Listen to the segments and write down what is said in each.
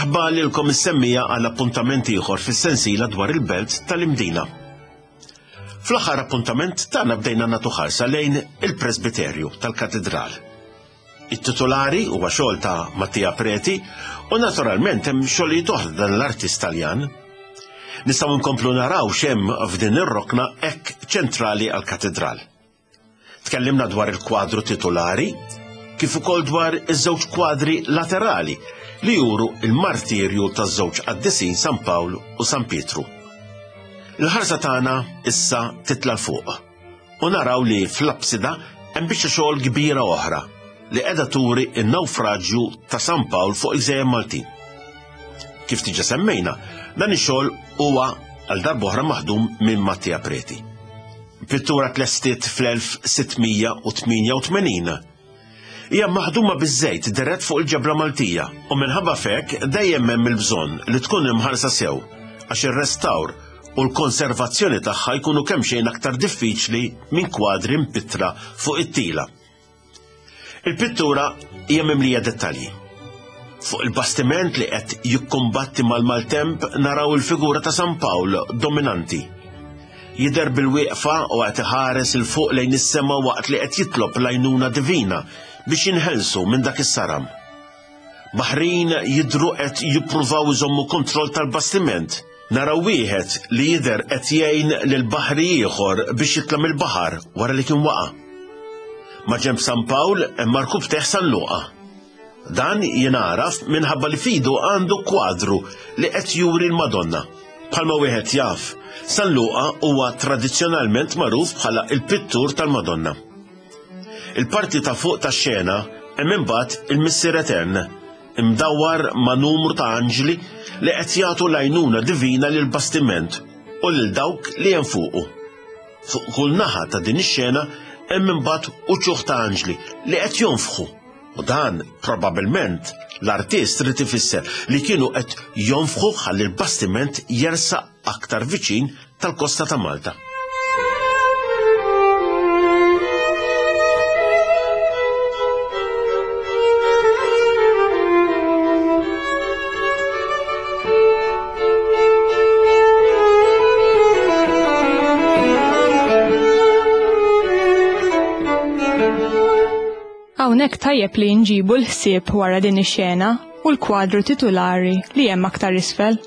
Merħba lilkom is-semmija għal appuntament ieħor fis-sensiela dwar il-belt tal-Imdina. Fl-aħħar appuntament tagħna bdejna nagħtu ħarsa lejn il-presbiterju tal-katedral. It-titolari huwa xogħol ta' Mattia Preti u naturalment hemm xogħlijiet oħra dan l-artist Taljan. Nistgħu nkomplu naraw x'hemm f'din ir-rokna hekk ċentrali għall-katedral. Tkellimna dwar il-kwadru titolari, kif ukoll dwar iż-żewġ kwadri laterali li juru il-martirju taż-żewġ qaddisin San Pawl u San Pietru. Il-ħarsa tagħna issa titla' fuq u naraw li fl-apsida hemm biċċa xogħol kbira oħra li qiegħda turi n-nawfraġġju ta' San Pawl fuq il-Gżejjer Maltin. Kif diġà semmejna, dan ix-xogħol huwa għal darb'oħra maħdum minn Mattia Preti. Pittura tlestiet fl-1688. Hija maħduma biż-żejt dirett fuq il-ġebla Maltija u minħabba f'hekk dejjem hemm il-bżonn li tkun imħarsa sew għax ir-restawr u l-konservazzjoni tagħha jkunu kemxejn aktar diffiċli minn kwadri mpittra fuq it-tila. Il-pittura hija mimlija dettalji. Fuq il-bastiment li qed jikkumbatti mal-maltemp naraw il-figura ta' San Pawl dominanti. Jidher bil-wieqfa u qed iħares 'il fuq lejn is-sema waqt li qed jitlob l-għajnuna divina biex jinħelsu minn dak is-saram. Baħrin jidhru qed jippruvaw iżommu kontroll tal-bastiment. Naraw wieħed li jidher qed jgħin lil baħri ieħor biex jitla' mill-baħar wara li kien waqa'. Maġenb San Pawl hemm markubtejh San Luqa. Dan jingħaraf minħabba li f'idu għandu kwadru li qed juri l-Madonna. Bħalma wieħed jaf, San Luqa huwa tradizzjonalment magħruf bħala l-pittur tal-Madonna. Il-parti ta' fuq tax-xena hemm imbagħad il-Missier Etern, imdawwar ma' numru ta' anġli li qed jagħtu l-għajnuna divina lill-bastiment u lil dawk li hemm fuqu. Fuq kull naħa ta' din ix-xena hemm imbagħad uċuħ ta' anġli li qed jonfħu u dan probabbilment l-artist ried ifisser li kienu qed jonfħu ħalli l-bastiment jersaq aktar viċin tal-kosta ta' Malta. Hawnhekk tajjeb li nġibu l-ħsieb wara din ix-xena u l-kwadru titulari li hemm aktar isfel.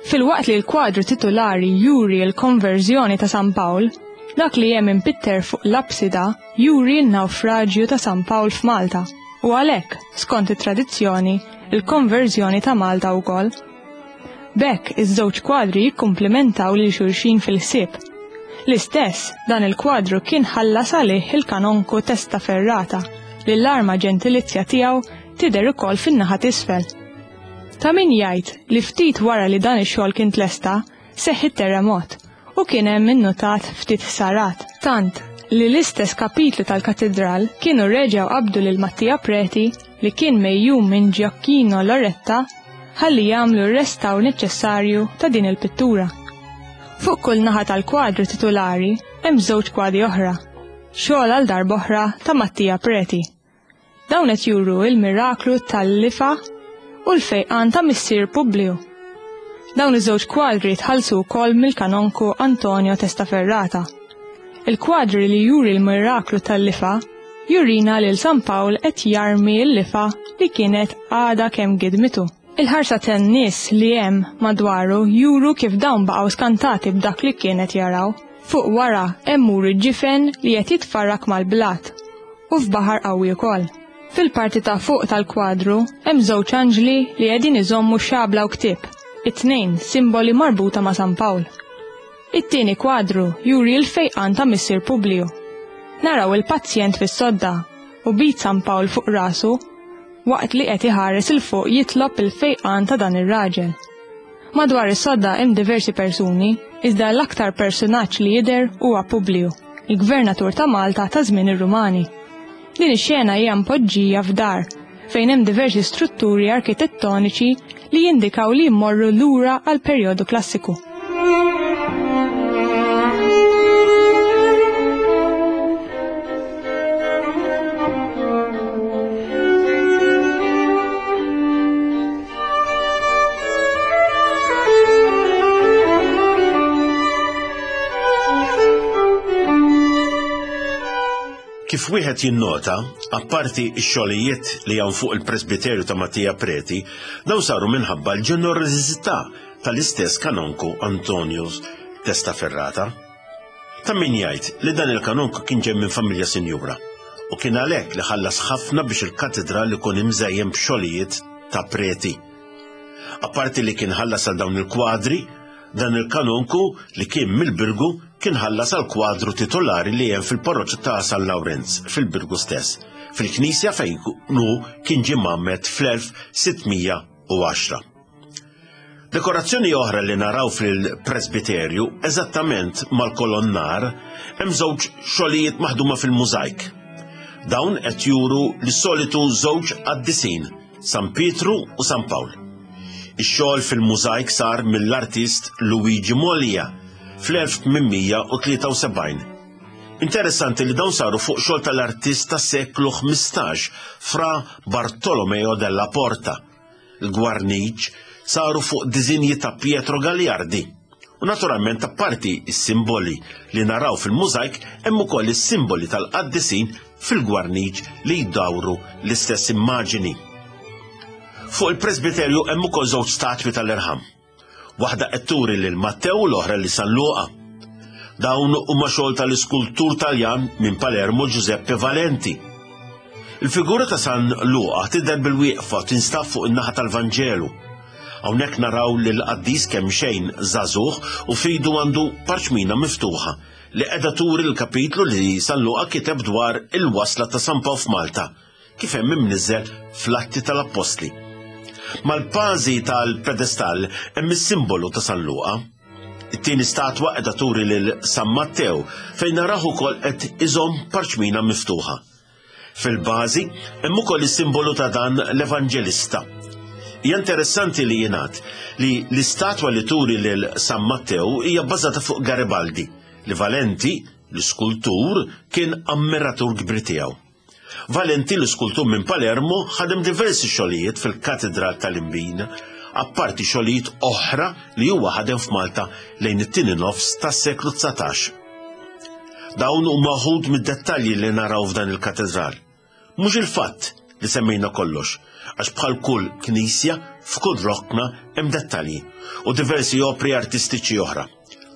Filwaqt li l-kwadru titulari juri l-konverżjoni ta' San Pawl, dak li hemm impitter fuq l-apsida juri n-nawfraġju ta' San Pawl f'Malta u għalhekk, skont it-tradizzjoni, il-konverżjoni ta' Malta wkoll. B'hekk iż-żewġ kwadri jikkumplimentaw lil xulxin fil-ħsieb. L-istess, dan il-kwadru kien ħallas għalih il-kanonku Testaferrata li l-arma ġentilizja tiegħu tidher ukoll fin-naħa t'isfel. Ta' min jgħid li ftit wara li dan ix-xogħol kien tlesta, seħħ it-terremot u kien hemm innutat ftit ħsarat, tant li l-istess kapitlu tal-katidral kienu reġgħu qabdu lil Mattia Preti li kien megħjun minn Gioacchino Loretta ħalli jagħmlu r-restawr neċessarju ta' din il-pittura. Fuq kull naħa tal-kwadru titulari hemm żewġ kwadri oħra, xogħol għal darb'oħra ta' Mattia Preti. Dawn qed juru l-miraklu tal-lifa u l-fejqan ta' missier Publiju. Dawn iż-żewġ kwadri tħallsu wkoll mill-kanonku Antonio Testaferrata. Il-kwadri li juri l-miraklu tal-lifa jurina lil San Pawl qed jarmi l-lifa li kienet għadha kemm gidmitu. Il-ħarsa tan-nies li hemm madwaru juru kif dawn baqgħu skantati b'dak li kien qed jaraw. Fuq wara hemm muri ġifen li qed jitfarrak mal-blat u f'baħar qawwi wkoll. Fil-parti ta' fuq tal-kwadru hemm żewġ anġli li qegħdin iżommu xabla u ktieb, it-tnejn simboli marbuta ma' San Pawl. It-tieni kwadru juri l-fejqan ta' Missier Publiju. Naraw il-pazjent fis-sodda u b'id San Pawl fuq rasu waqt li qed iħares 'il fuq jitlob il-fejqan ta' dan ir-raġel. Madwar is-sodda hemm diversi persuni, iżda l-aktar persunaġġ li jidher huwa Publiju, il-gvernatur ta' Malta ta' żmien ir-Rumani. Din ix-xena hija mpoġġija f'dar fejn hemm diversi strutturi arkitettoniċi li jindikaw li jmorru lura għall-perjodu klassiku. Kif wieħed jinnota, apparti x-xogħlijiet li hawn fuq il-presbiterju ta' Mattia Preti, dawn saru minħabba l-ġenerożità tal-istess kanonku Antonius Testaferrata. Ta' min jgħid li dan il-kanonku kien ġej minn familja sinjura u kien għalhekk li ħallas ħafna biex il-katedral ikun imżejjen b'xogħlijiet ta' Preti. Apparti li kien ħallas għal dawn il-kwadri, Dan il-kanonku, li kien mill-Birgu, kien ħallas għall-kwadru titolari li hemm fil-parroċċa ta' San Lawrenz, fil-Birgu stess, fil-knisja fejn hu kien ġie mgħammed fl-1610. Dekorazzjoni oħra li naraw fil-presbiterju, eżattament mal-kolonnar, hemm żewġ xogħlijiet maħduma fil-mużajk. Dawn qed juru lis-solitu żewġ qaddisin, San Pietru u San Pawl. Ix-xogħol fil-mużajk sar mill-artist Luigi Moglia fl-1873. Interessanti li dawn saru fuq xogħol tal-artist tas-seklu 15, Fra Bartolomeo della Porta. Il-gwarniċ saru fuq diżinji ta' Pietro Gagliardi. U naturalment apparti s-simboli li naraw fil-mużajk hemm ukoll is-simboli tal-qaddisin fil-gwarniċ li jdawru l-istess immaġini. Fuq il-presbiterju hemm ukoll żewġ statwi tal-irħam. Waħda qed turi lil Mattew u l-oħra li San Luqa. Dawn huma xogħol tal-iskultur Taljan minn Palermo Giuseppe Valenti. Il-figura ta' San Luqa tidher bil-wieqfa tinstab fuq in-naħa tal-Vanġelu. Hawnhekk naraw lil qaddis kemm xejn żagħżugħ u f'idu għandu parċmina miftuħa li qiegħda turi l-kapitlu li San Luqa kiteb dwar il-wasla ta' San Pawl f'Malta, kif hemm imniżżel fl-Atti tal-Appostli. Mal-bażi tal-pedestall hemm is-simbolu ta' San Luqa. It-tieni statwa qiegħda turi lil San Mattew fejn naraw ukoll qed iżomm parċmina miftuħa. Fil-bażi hemm ukoll is-simbolu ta' dan l-evanġelista. Hija interessanti li jingħad li l-istatwa li turi lil San Mattew hija bbażata fuq Garibaldi, li Valenti, l-iskultur, kien ammiratur kbir tiegħu. Valenti, l-iskultur minn Palermo, ħadem diversi xogħlijiet fil-Katedral tal-Imbina, apparti xogħlijiet oħra li huwa ħadem f'Malta lejn it-tieni nofs tas-seklu 19. Dawn huma wħud mid-dettalji li naraw f'dan il-katedral. Mhux il-fatt li semmejna kollox, għax bħal kull knisja f'kull rokna hemm dettalji u diversi opri artistiċi oħra.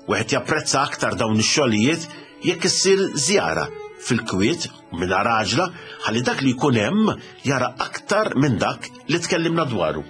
Wieħed japprezza aktar dawn ix-xogħlijiet jekk issir żjara fil-kwiet u mingħajr għaġla ħalli dak li jkun hemm jara aktar minn dak li tkellimna dwaru.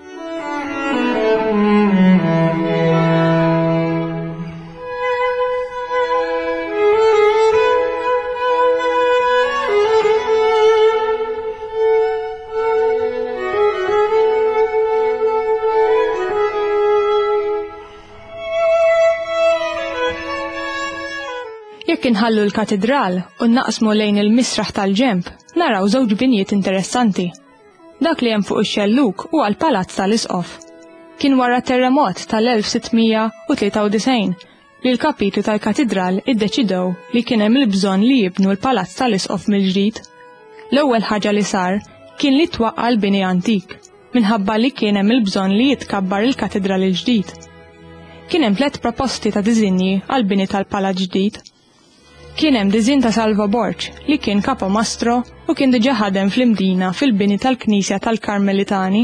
Jekk inħallu l-katidral u naqsmu lejn il-misraħ tal-ġemp, naraw żewġ binjiet interessanti. Dak li hemm fuq ix-xellug huwa l-Palazz tal-Isqof. Kien wara terremot tal-1693 li l-kapitlu tal-katidral iddeċidew li kien hemm il-bżonn li jibnu l-Palazz tal-Isqof mill-ġdid. L-ewwel ħaġa li sar kien li twaqqa' l-bini antik, minħabba li kien hemm il-bżonn li jitkabbar il-katidral il-ġdid. Kien hemm tlett proposti ta' diżinji għall-bini tal-palazz ġdid. Kien hemm diżinn ta' Salvo Borg, li kien kapomastro u kien diġà ħadem fl-Imdina fil-bini tal-knisja tal-Karmelitani.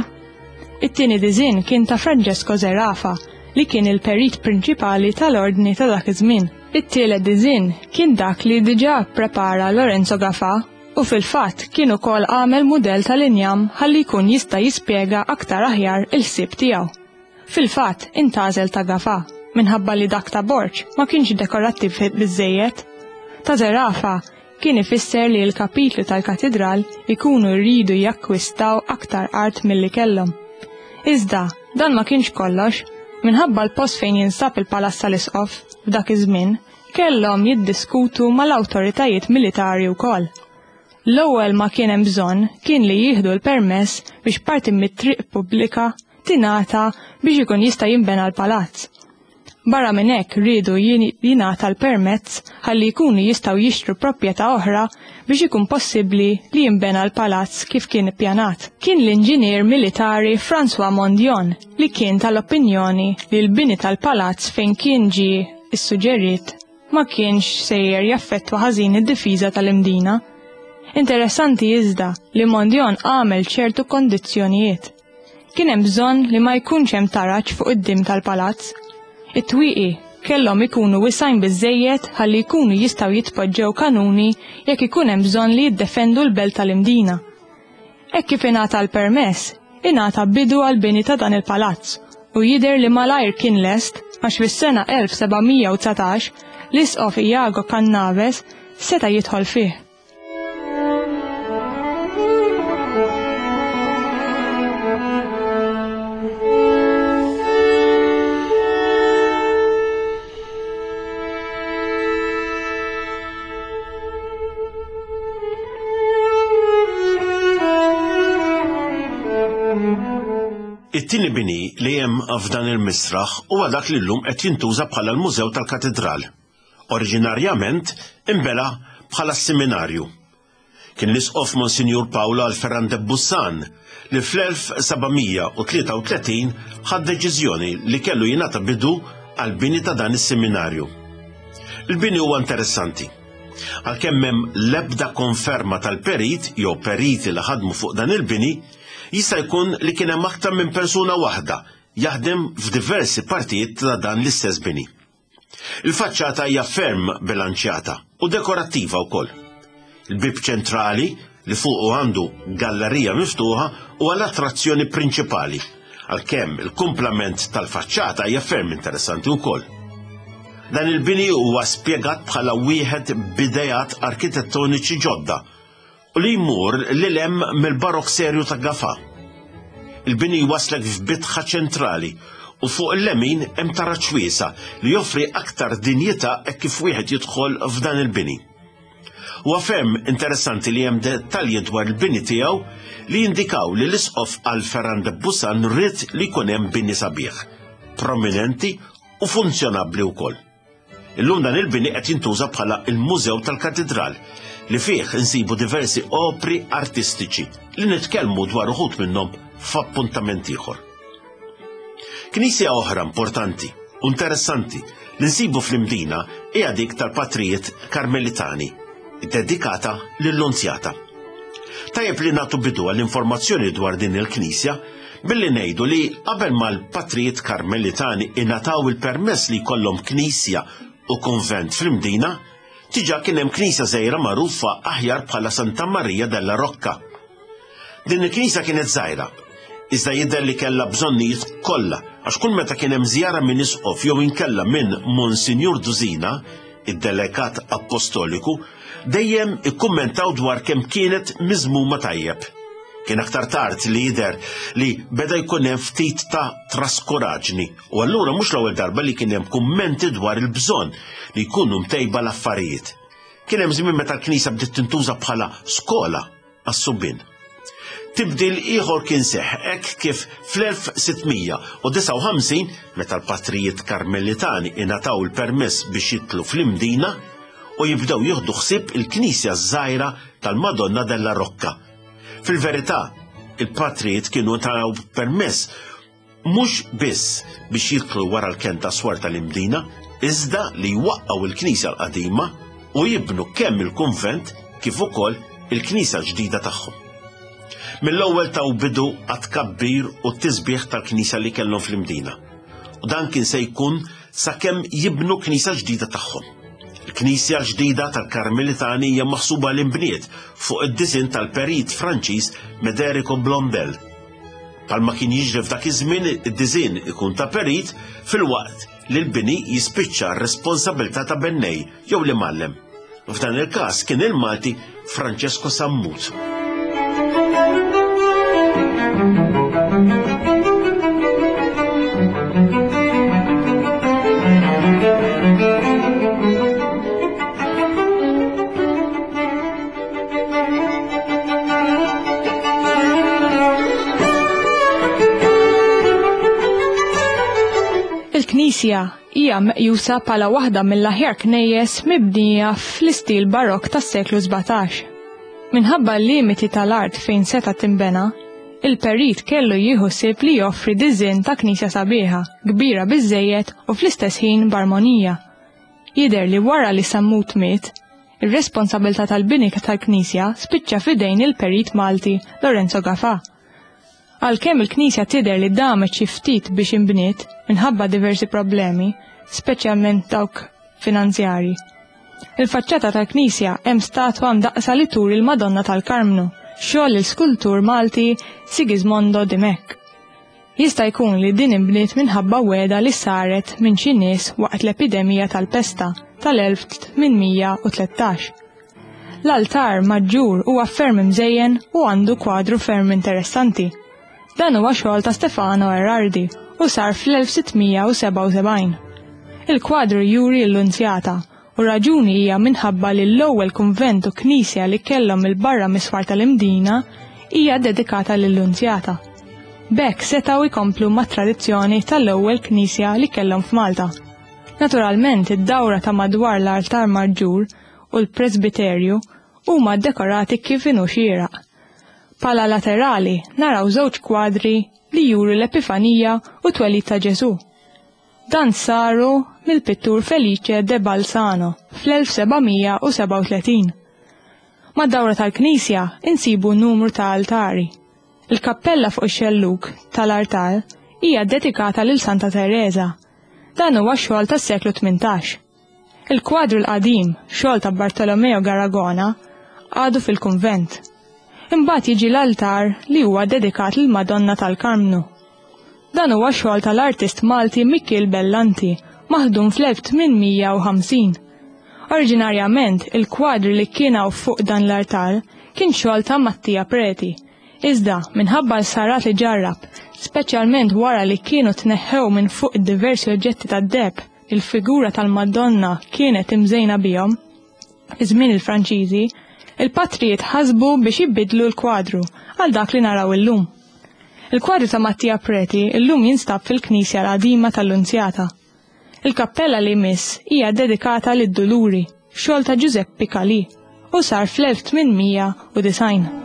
It-tieni diżinn kien ta' Francesco Zerafa, li kien il-perit prinċipali tal-ordni ta' dak iż-żmien. It-tielet diżinn kien dak li diġà pprepara Lorenzo Gafà u fil-fatt kien ukoll għamel mudell tal-injam ħalli jkun jista' jispjega aktar aħjar il-ħsieb tiegħu. Fil-fatt, intgħażel ta' Gafà, minħabba li dak ta' Borg ma kienx dekorattiv biżżejjed. Ta' Zerafa kien ifisser li l-kapitlu tal-katidral ikunu jridu jakkwistaw aktar art milli kellhom. Iżda, dan ma kienx kollox, minħabba l-post fejn jinsab il-Palazz tal-Isqof f'dak iż-żmien, kellhom jiddiskutu mal-awtoritajiet militari wkoll. L-ewwel ma kien hemm bżonn kien li jieħdu l-permess biex parti mit-triq pubblika tingħata biex ikun jista' jinbena l-palazz. Barra minn hekk riedu jingħata l-permezz ħalli jkunu jistgħu jixtru proprjetà oħra biex ikun possibbli li jinbena l-palazz kif kien ippjanat. Kien l-inġinier militari François Mondion li kien tal-opinjoni li l-bini tal-palazz fejn kien ġie ssuġġerit ma kienx sejjer jaffettwa ħażin id-difiża tal-Imdina. Interessanti iżda li Mondion għamel ċertu kondizzjonijiet. Kien hemm bżonn li ma jkunx hemm taraġ fuq id-dim tal-palazz. It-twieqi kellhom ikunu wisgħin biżżejjed ħalli jkunu jistgħu jitpoġġew kanuni jekk ikun hemm bżonn li jiddefendu l-belt tal-Imdina. Hekk kif ingħata l-permess, ingħata bidu għall-bini ta' dan il-palazz u jidher li malajr kien lest għax fis-sena 1719 l-Isqof Iago Cannaves seta' jidħol fih. It-tieni bini li hemm f'dan il-misraħ huwa dak li llum qed jintuża bħala l-Mużew tal-Katidral. Oriġinarjament inbela bħala s-seminarju. Kien l-Isqof Monsinjur Paolo Alferrande Bussan li fl-1733 ħa d-deċiżjoni li kellu jingħata bidu għall-bini ta' dan is-seminarju. Il-bini huwa interessanti. Għalkemm m'hemm l-ebda konferma tal-perit jew periti li ħadmu fuq dan il-bini, jista' jkun li kien hemm aktar minn persuna waħda jaħdem f'diversi partijiet ta' dan l-istess bini. Il-faċċata hija ferm bilanċjata u dekorattiva wkoll. Il-bieb ċentrali li fuqu għandu gallerija miftuħa huwa l-attrazzjoni prinċipali, għalkemm il-kumplament tal-faċċata hija ferm interessanti wkoll. Dan il-bini huwa spjegat bħala wieħed b'ideat arkitettoniċi ġodda u li jmur lil hemm mill-Barokk serju ta' Gafà. Il-bini jwasslek f'bitħa ċentrali u fuq il-lemin hemm taraġ wiesa' li joffri aktar dinjità hekk kif wieħed jidħol f'dan il-bini. Huwa ferm interessanti li hemm dettalji dwar il-bini tiegħu li jindikaw li l-Isqof Alferrand de Bussan ried li jkun hemm bini sabiħ, prominenti u funzjonabbli wkoll. Illum dan il-bini qed jintuża bħala il-Mużew tal-Katidral li fih insibu diversi opri artistiċi li nitkellmu dwar uħud minnhom f'appuntament ieħor. Knisja oħra importanti u interessanti li nsibu fl-Imdina hija dik tal-Patrijiet Karmelitani, dedikata lill-Lunzjata. Tajjeb li nagħtu bidu għall-informazzjoni dwar din il-knisja billi ngħidu li qabel ma l-patrijiet Karmelitani ingħataw il-permess li jkollhom knisja u kunvent fl-Imdina, diġà kien hemm knisja żgħira magħrufa aħjar bħala Santa Maria della Rocca. Din il-knisja kienet żgħira, iżda jidher li kellha bżonnijiet kollha għax kull meta kien hemm żjara minn isqof jew inkella minn Monsinjur Dusina, id-delegat appostoliku, dejjem ikkummentaw dwar kemm kienet miżmuma tajjeb. Kien aktar tard li jidher li beda jkun hemm ftit ta' traskuraġni u allura mhux l-ewwel darba li kien hemm kummenti dwar il-bżonn li jkunu mtejba l-affarijiet. Kien hemm żmien meta l-knisja bdiet tintuża bħala skola għas-subien. Tibdil ieħor kien seħħ hekk kif fl-1659, meta l-patrijiet Karmelitani ingħataw il-permess biex jidħlu fl-Imdina u jibdew jieħdu ħsieb il-knisja ż-żgħira tal-Madonna della Rocca. Fil-verità, il-patrijiet kienu taw permess mhux biss biex jidħlu wara l-kenn tas-swar tal-Imdina, iżda li jwaqqgħu l-knisja l-qadima u jibnu kemm il-kunvent kif ukoll il-knisja l-ġdida tagħhom. Mill-ewwel taw bidu għat-tkabbir u t-tisbiħ tal-knisja li kellhom fl-Imdina. U dan kien se jkun sakemm jibnu knisja ġdida tagħhom. Il-knisja l-ġdida tal-Karmelitani hija maħsuba li nbniet fuq id-disinn tal-perit Franċiż Mederico Blondel. Bħalma kien jiġri f'dak iż-żmien id-disinn ikun ta' perit filwaqt li l-bini jispiċċa r-responsabilità ta' bennej jew l-imgħallem. F'dan il-każ kien il-Malti Francesco Sammut. Il-knisja hija meqjusa bħala waħda mill-aħjar knejjes mibnija fl-istil barokk tas-seklu 17. Minħabba l-limiti tal-art fejn seta' tinbena, il-perit kellu jieħu ħsieb li joffri diżinn ta' knisja sabiħa, kbira biżżejjed u fl-istess ħin b'armonija. Jidher li wara li Sammut miet, Ir-responsabilità tal-bini tal-knisja spiċċa f'idejn il-perit Malti Lorenzo Gafà. Għalkemm il-knisja tidher li damet xi ftit biex inbniet minħabba diversi problemi, speċjalment dawk finanzjarji. Il-faċċata tal-knisja hemm statwa mdaqqsa li turi l-Madonna tal-Karmnu, xogħol l-iskultur Malti Sigismondo Dimech. Jista' jkun li din inbniet minħabba wegħda li saret minn xi nies waqt l-epidemija tal-pesta tal-1813. L-altar maġġur huwa ferm imżejjen u għandu kwadru ferm interessanti. Dan huwa xogħol ta' Stefano Erardi u sar fl-1677. Il-kwadru juri l-Lunzjata u raġuni hija minħabba li l-ewwel kunvent u knisja li kellhom il-barra miswar tal-Imdina hija dedikata lill-Lunzjata. B'hekk setgħu jkomplu mat-tradizzjoni tal-ewwel knisja li kellhom f'Malta. Naturalment id-dawra ta' madwar l-altar maġġur u l-presbiterju huma ddekorati kif inhu xieraq. Pala laterali naraw żewġ kwadri li juru l-Epifanija u t-twelid ta' Ġesù. Dan saru mill-pittur Felice de Balsano fl-1737. Mad-dawra tal-knisja insibu numru ta' altari. Il-kappella fuq ix-xellug tal-artal hija ddedikata lil Santa Tereża. Dan huwa xogħol tas-seklu 18. Il-kwadru l-qadim, xogħol ta' Bartolomeo Garagona, għadu fil-kunvent. Imbagħad jiġi l-altar li huwa dedikat lill-Madonna tal-Karmnu. Dan huwa xogħol tal-artist Malti Mikiel Bellanti, maħdum fl-1850. Oriġinarjament, il-kwadri li kien hawn fuq dan l-artal kien xogħol ta' Mattia Preti. Iżda, minħabba l-sarat li ġarrab, speċjalment wara li kienu tneħħew minn fuq diversi oġġetti tad-deheb li l-figura tal-Madonna kienet imżejna bihom, fi żmien il-Franċiżi, il-patrijiet ħasbu biex jibidlu l-kwadru għal dak li naraw illum. Il-kwadru ta' Mattia Preti illum jinstab fil-Knisja l-qadima tal-Lunzjata. Il-kappella li jmiss hija dedikata lid-Duluri, xogħol ta' Giuseppe Calì, u sar fl-1890.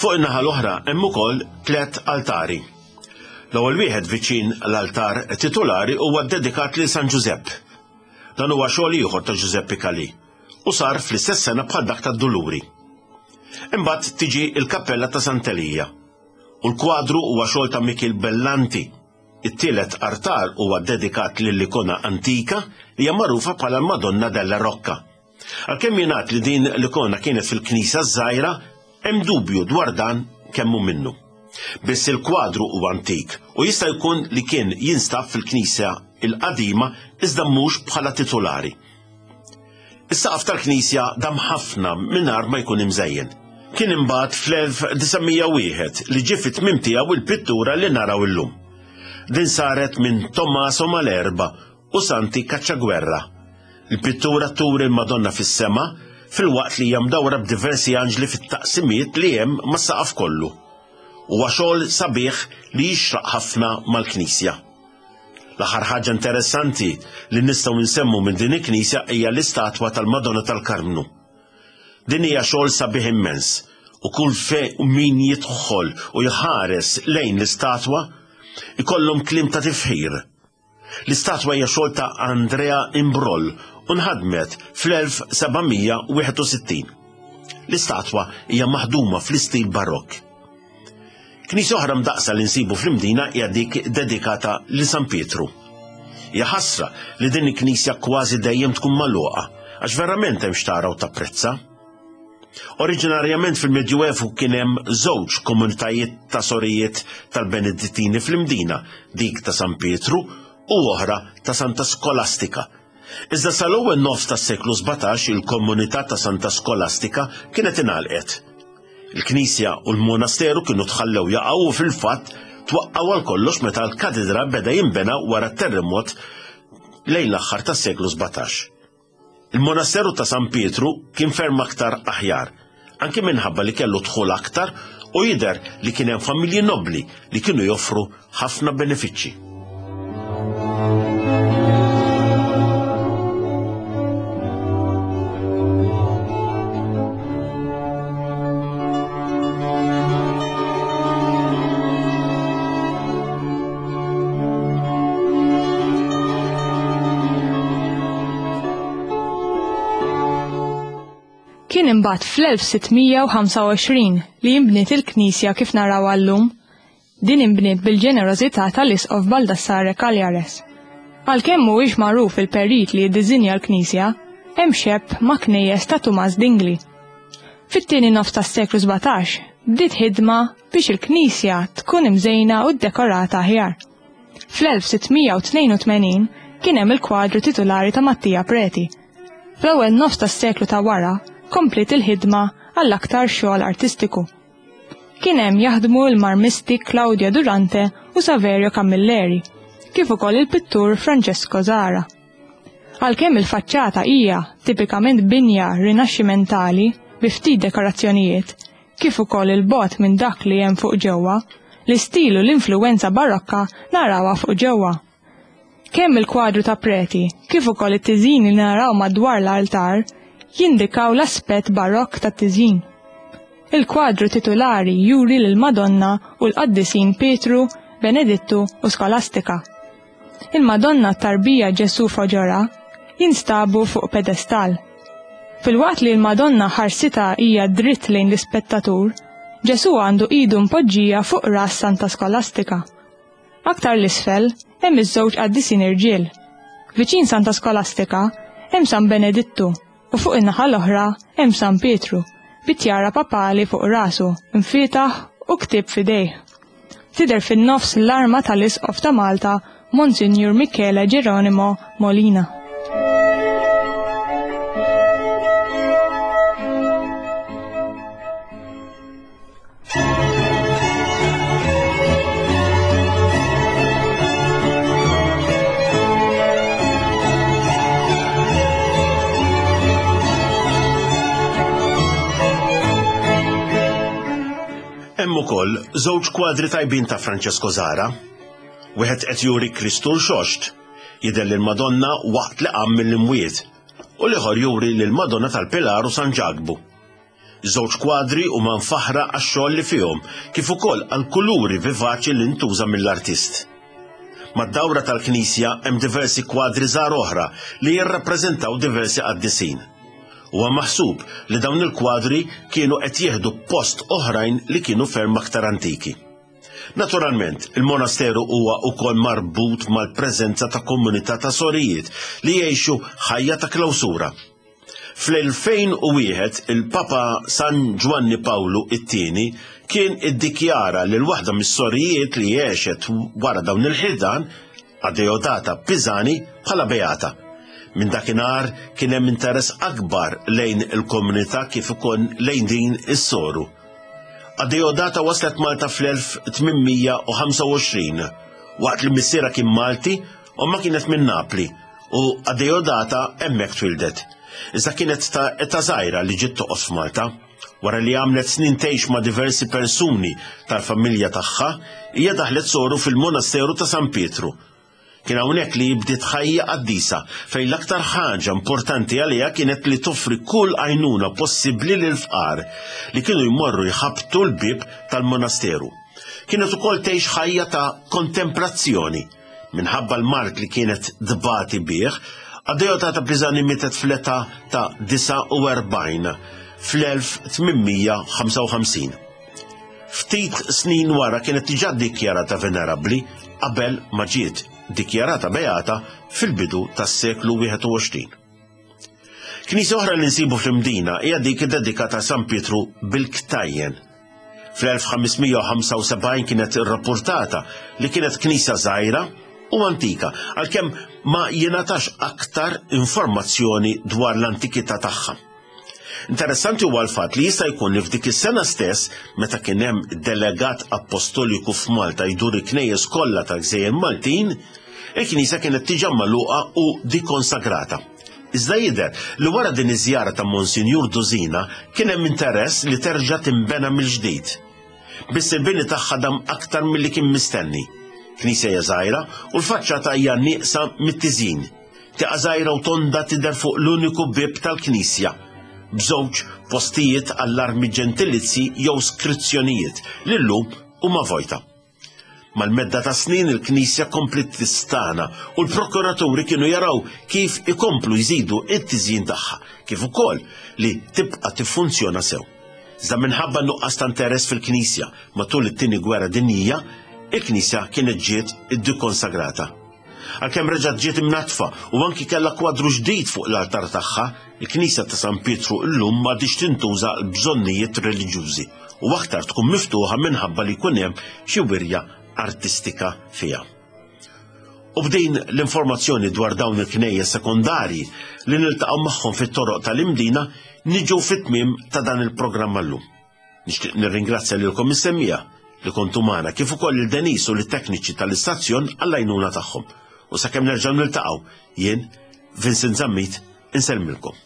Fuq in-naħa l-oħra hemm ukoll tliet altari. L-ewwel wieħed viċin l-altar titulari huwa ddedikat lil San Ġużepp. Dan huwa xogħol ieħor ta' Ġużeppi Calì u sar fl-istess sena bħal dak tad-Duluri. Imbagħad tiġi l-kappella ta' Sant'Elija u l-kwadru huwa xogħol ta' Mikiel Bellanti. It-tielet artar huwa ddedikat lil ikona antika li hija magħrufa bħala l-Madonna della Rocca. Għalkemm jingħad li din l-ikona kienet fil-knisja ż-żgħira, hemm dubju dwar dan kemm hu minnu. Biss il-kwadru huwa antik u jista' jkun li kien jinstab fil-knisja l-qadima iżda mhux bħala titulari. Is-saqaf tal-knisja dam ħafna mingħajr ma jkun imżejjen. Kien imbagħad fl-1901 li ġie fit-tmiem tiegħu il-pittura li naraw illum. Din saret minn Tommaso Malerba u Santi Cacciaguerra. Il-pittura turi l-Madonna fis-sema filwaqt li hija mdawra b'diversi anġli fit-taqsimiet li hemm mas-saqaf kollu. Huwa xogħol sabiħ li jixraq ħafna mal-knisja. L-aħħar ħaġa interessanti li nistgħu nsemmu minn din il-knisja hija l-istatwa tal-Madonna tal-Karmnu. Din hija xogħol sabiħ immens u kull fe min jidħol u jħares lejn l-istatwa ikollhom kliem ta' tifħir. L-istatwa hija xogħol ta' Andrea Imbroll u nħadmet fl-1761. L-istatwa hija maħduma fl-istil barokk. Knisja oħra mdaqqsa li nsibu fl-Imdina hija dik dedikata lil San Pietru. Hija ħasra li din il-knisja kważi dejjem tkun magħluqa għax verament hemm x'tara u tapprezza. Oriġinarjament fil-Medjuevu kien hemm żewġ komunitajiet ta' sorijiet tal-Benedittini fl-Imdina, dik ta' San Pietru u oħra ta' Santa Skolastika. Iżda sal-ewwel nofs tas-seklu 17 il-komunità ta' Santa Skolastika kienet ingħalqet. Il-knisja u l-monasteru kienu tħallew jaqgħu u fil-fatt twaqqgħu għal kollox meta l-katedra beda jinbena wara t-terremot lejn l-aħħar tas-seklu 17. Il-monasteru ta' San Pietru kien ferm aktar aħjar, anki minħabba li kellu dħul aktar u jidher li kien hemm familji nobbli li kienu joffru ħafna benefiċċji. Kien imbagħad fl-1625 li inbniet il-knisja kif narawha llum. Din inbniet bil-ġenerożità tal-Isqof Baldassare Cagliares. Għalkemm mhuwiex magħruf il-perit li ddiżinja l-knisja, hemm xebh ma' knejjes ta' Tumas Dingli. Fit-tieni nofs tas-seklu 17 bdiet ħidma biex il-knisja tkun imżejna u ddekorata aħjar. Fl-1682 kien hemm il-kwadru titulari ta' Mattia Preti. Fl-ewwel nofs tas-seklu ta' wara kompliet il-ħidma għal aktar xogħol artistiku. Kien hemm jaħdmu l-marmisti Claudio Durante u Saverio Camilleri, kif ukoll il-pittur Francesco Zara. Għalkemm il-faċċata hija tipikament binja rinaxximentali bi ftit dekorazzjonijiet, kif ukoll 'il bogħod minn dak li hemm fuq ġewwa, l-istil u l-influwenza barokka narawha fuq ġewwa. Kemm il-kwadru ta' Preti kif ukoll it-tiżjin li naraw madwar l-altar jindikaw l-aspett barokk tat-tiżjin. Il-kwadru titulari juri lill-Madonna u l-qaddisin Pietru, Benedittu u Skolastika. Il-Madonna t-tarbija Ġesù f'għoġorha jinstabu fuq pedestal. Filwaqt li l-Madonna ħarsitha hija dritt lejn l-ispettatur, Ġesù għandu idu mpoġġija fuq ras Santa Skolastika. Aktar 'l isfel hemm iż-żewġ qaddisin irġiel. Viċin Santa Skolastika hemm San Benedittu u fuq in-naħa l-oħra hemm San Pietru bi tjara papali fuq rasu, mfietaħ u ktieb f'idejh. Tidher fin-nofs l-arma tal-Isqof ta' Malta Monsinjur Michele Geronimo Molina. Hemm ukoll żewġ kwadri tajbin ta' Francesco Zara. Wieħed qed juri Kristu rxoxt, jidher lil Madonna waqt li qam mill-imwiet, u l-ieħor juri lil Madonna tal-Pilar u San Ġakbu. Żewġ kwadri huma mfaħħra għax-xogħol li fihom, kif ukoll għall-kuluri vivaċi li ntuża mill-artist. Mad-dawra tal-knisja hemm diversi kwadri żgħar oħra li jirrappreżentaw diversi qaddisin. Huwa maħsub li dawn il-kwadri kienu qed jieħdu post oħrajn li kienu ferm aktar antiki. Naturalment, il-monasteru huwa wkoll marbut mal-preżenza ta' komunità ta' sorijiet li jgħixu ħajja ta' klawsura. Fl-2001 il-Papa San Ġwanni Pawlu it-Tieni kien iddikjara lil waħda mis-sorijiet li għexet wara dawn il-ħidan, Adeodata Pisani, bħala beata. Minn dakinhar kien hemm interess akbar lejn il-komunità kif ukoll lejn din is-soru. Adeodata waslet Malta fl-1825 waqt li missierha kien Malti u ma kienet minn Napli u Adeodata hemmhekk twildet. Iżda kienet ta' età żgħira li ġiet toqgħod f'Malta. Wara li għamlet snin tgħix ma' diversi persuni tal-familja tagħha, hija daħlet soru fil-monasteru ta' San Pietru. Kien hawnhekk li bdiet ħajja qaddisa fejn l-aktar ħaġa importanti għaliha kienet li toffri kull għajnuna possibbli lill-fqar li kienu jmorru jħabbtu l-bieb tal-monasteru. Kienet ukoll tgħix ħajja ta' kontemplazzjoni Minħabba l-mard li kienet tbati bih, Adeodata Pisani mietet fl-età ta' 49 fl-1855. Ftit snin wara kienet diġà ddikjarata venerabbli qabel ma ġiet dikjarata beata fil-bidu tas-seklu 21. Knisja oħra li nsibu fl-Imdina hija dik iddedikata San Pietru bil-Ktajjen. Fl-1575 kienet irrappurtata li kienet knisja żgħira u antika, għalkemm ma jingħatax aktar informazzjoni dwar l-antikità tagħha. Interessanti huwa l-fatt li jista' jkun li f'dik is-sena stess, meta kien hemm delegat appostoliku f'Malta jdur il-knejjes kollha tal-gżejjer Maltin, il-knisja kienet diġà magħluqa u dikonsagrata. Iżda jidher li wara din iż-żjara ta' Monsinjur Dusina kien hemm interess li terġa' tinbena mill-ġdid. Biss il-bini tagħha dam aktar milli kien mistenni. Knisja hija żgħira u l-faċċata hija nieqsa mit-tiżjin. Tieqa żgħira u tonda tidher fuq l-uniku bieb tal-knisja, b'żewġ postijiet għall-armi ġentilizji jew skrizzjonijiet li llum huma vojta. Mal-medda ta' snin il-knisja kompliet tistana u l-prokuraturi kienu jaraw kif ikomplu jżidu it-tiżjin tagħha, kif ukoll li tibqa' tiffunzjona sew. Iżda minħabba nuqqas ta' interess fil-knisja matul it-Tieni Gwerra Dinjija, il-knisja kienet ġiet iddikonsagrata. Għalkemm reġgħet ġiet imnaddfa u anki kellha kwadru ġdid fuq l-altar tagħha, il-knisja ta' San Pietru llum m'għadhiex tintuża għal bżonnijiet reliġjużi u aktar tkun miftuħa minħabba li jkun hemm xi wirja artistika fiha. U b'din l-informazzjoni dwar dawn il-knejjes sekondarji li niltaqgħu magħhom fit-toroq tal-Imdina niġu fit-tmiem ta' dan il-programm għallum. Nixtieq nirringrazzja lilkom is-semmiegħa li kontu magħna kif ukoll lil Denise u lit-tekniċi tal-istazzjon għall-għajnuna tagħhom. U sakemm nerġgħu niltaqgħu, jien Vincent Zammit insellmilkom.